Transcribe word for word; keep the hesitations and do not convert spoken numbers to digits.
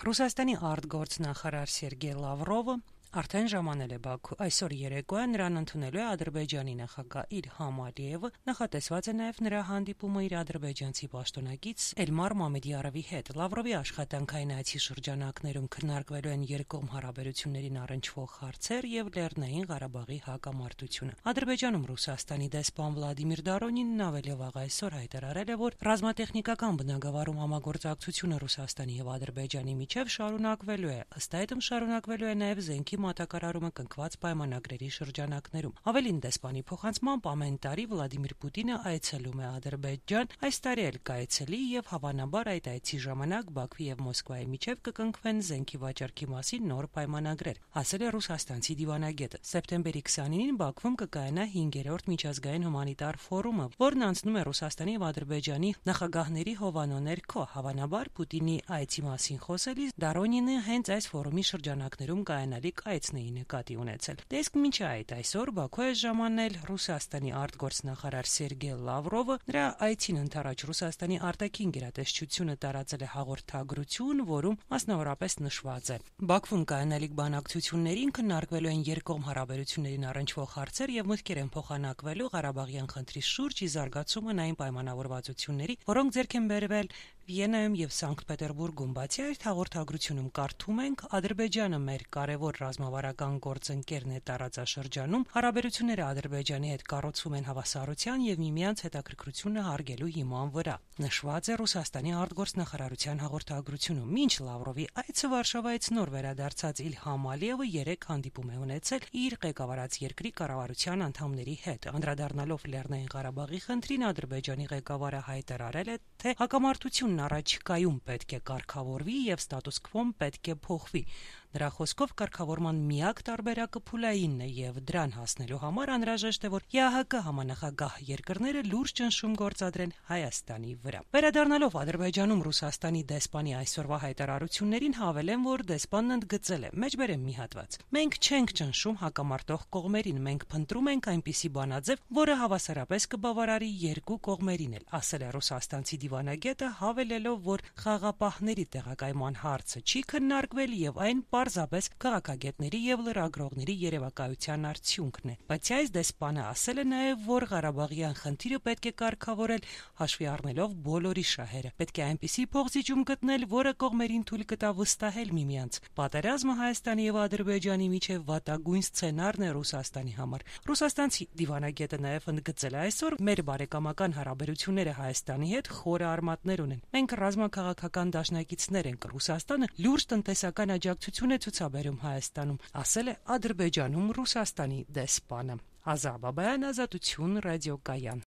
Ռուսաստանի արտգործնախարար Սերգեյ Լավրովը արդեն ժամանել է Բաքու։ Այսօր երեկոյան նրան ընդունելու է Ադրբեջանի նախագահ Իլհամ Ալիևը, նախատեսված է նաև նրա հանդիպումը իր ադրբեջանցի պաշտոնակից Էլմար Մամեդիարովի հետ։ Լավրովի աշխատանքային այցի շրջանակներում քննարկվելու են երկկողմ հարաբերություններին առնչվող հարցեր եւ Լեռնային Ղարաբաղի հակամարտությունը։ Ադրբեջանում Ռուսաստանի դեսպան Վլադիմիր Դարոնինն ավելի վաղ այսօր հայտարարել է, որ ռազմատեխնիկական բնագավառում համագործակցությունը Ռուսաստանի եւ Ադրբեջանի միջև շարունակվելու է։ Ըստ այդմ շարունակվելու է նաև զենքի մատակարարումը կնքված պայմանագրերի շրջանակներում։ Ավելին, դեսպանի փոխանցմամբ ամեն տարի Վլադիմիր Պուտինը այցելում է Ադրբեջան, այս տարի էլ կայցելի եւ հավանաբար այդ այցի ժամանակ Բաքվի եւ Մոսկվայի միջև կկնքվեն զենքի վաճառքի մասին նոր պայմանագրեր, ասել է ռուսաստանցի դիվանագետը։ Սեպտեմբերի քսանինին Բաքվում կկայանա հինգերորդ միջազգային հումանիտար ֆորումը, որն անցնում է Ռուսաստանի եւ Ադրբեջանի նախագահների հովանու ներքո։ Հավանաբար Պուտինի այցի մասին խոսելիս Դարոնինը հենց այս ֆորումի շրջանակներում կայանալիք այցն էի նկատի ունեցել։ Դեսկ մինչ այդ այսօր Բաքու է ժամանել Ռուսաստանի արտգործնախարար Սերգեյ Լավրովը։ Նրա այցին ընդառաջ Ռուսաստանի արտաքին գերատեսչությունը տարածել է հաղորդագրություն, որում մասնավորապես նշված է. Բաքվում կայանալիք բանակցություններին քննարկվելու են երկկողմ հարաբերություններին առնչվող հարցեր եւ մտքեր են փոխանակվելու Ղարաբաղյան խնդրի շուրջ ի զարգացումն այն պայմանավորվածությունների, որոնք ձեռք են բերվել Վիեննայում եւ Սանկտ Պետերբուրգում։ Բացի այդ հաղորդագրությունում կարդում ենք. Ադրբեջանը մեր կարևոր ռազմավարական գործընկերն է տարածաշրջանում, հարաբերությունները Ադրբեջանի հետ կառուցվում են հավասարության եւ միմյանց հետաքրքրությունը հարգելու հիման վրա։ Նշված է Ռուսաստանի արտգործնախարարության հաղորդագրությունում։ Մինչ Լավրովի այցը Վարշավայից նոր վերադարձած Իլհամ Ալիևը երեք հանդիպում է ունեցել իր ղեկավարած երկրի կառավարության անդամների հետ։ Անդրադառնալով Լեռնային Ղարաբաղի խնդրին, Ադրբեջանի ղեկավարը հայտարարել է, թե հակամարտությունն առաջիկայում պետք է կարգավորվի եւ ստատուս քվոն պետք է փոխվի։ Նրա խոսքով կարգավորման միակ տարբերակը փուլայինն է եւ դրան հասնելու համար անհրաժեշտ է, որ ԵԱՀԿ համանախագահ երկրները լուրջ ճնշում գործադրեն Հայաստանի վրա։ Վերադառնալով Ադրբեջանում Ռուսաստանի դեսպանի այսօրվա հայտարարություններին, հավելեն, որ դեսպանն ընդգծել է. «Մեջբերեմ մի հատված. Մենք չենք ճնշում հակամարտող կողմերին, մենք փնտրում ենք այնպիսի բանաձև, որը հավասարապես կբավարարի երկու կողմերին էլ», ասել է ռուսաստանցի դիվանագետը, հավելելով, որ խաղապահների տեղակայման հարցը չի քննարկվել եւ այն պարզապես քաղաքագետների եւ լրագրողների երևակայության արդյունքն է։ Բայց այս դեսպանը ասել է նաեւ, որ Ղարաբաղյան խնդիրը պետք է կարգավորել հաշվի առնելով բոլորի շահերը։ Պետք է այնպիսի փոխզիջում գտնել, որը կողմերին թույլ կտա վստահել միմյանց։ Պատերազմը Հայաստանի եւ Ադրբեջանի միջև վատագույն սցենարն է Ռուսաստանի համար։ Ռուսաստանցի դիվանագետը նաեւ ընդգծել է. «Այսօր մեր բարեկամական հարաբերությունները Հայաստանի հետ խորը արմատներ ունեն։ Մենք ռազմաքաղաքական դաշնակիցներ ենք։ Ռուսաստանը լուրջ տնտեսական աջակցություն է ցուցաբերում Հայաստանում», ասել է Ադրբեջանում Ռուսաստանի դեսպանը։ Ազա Բաբայան, Ազատություն, ռադիոկայան։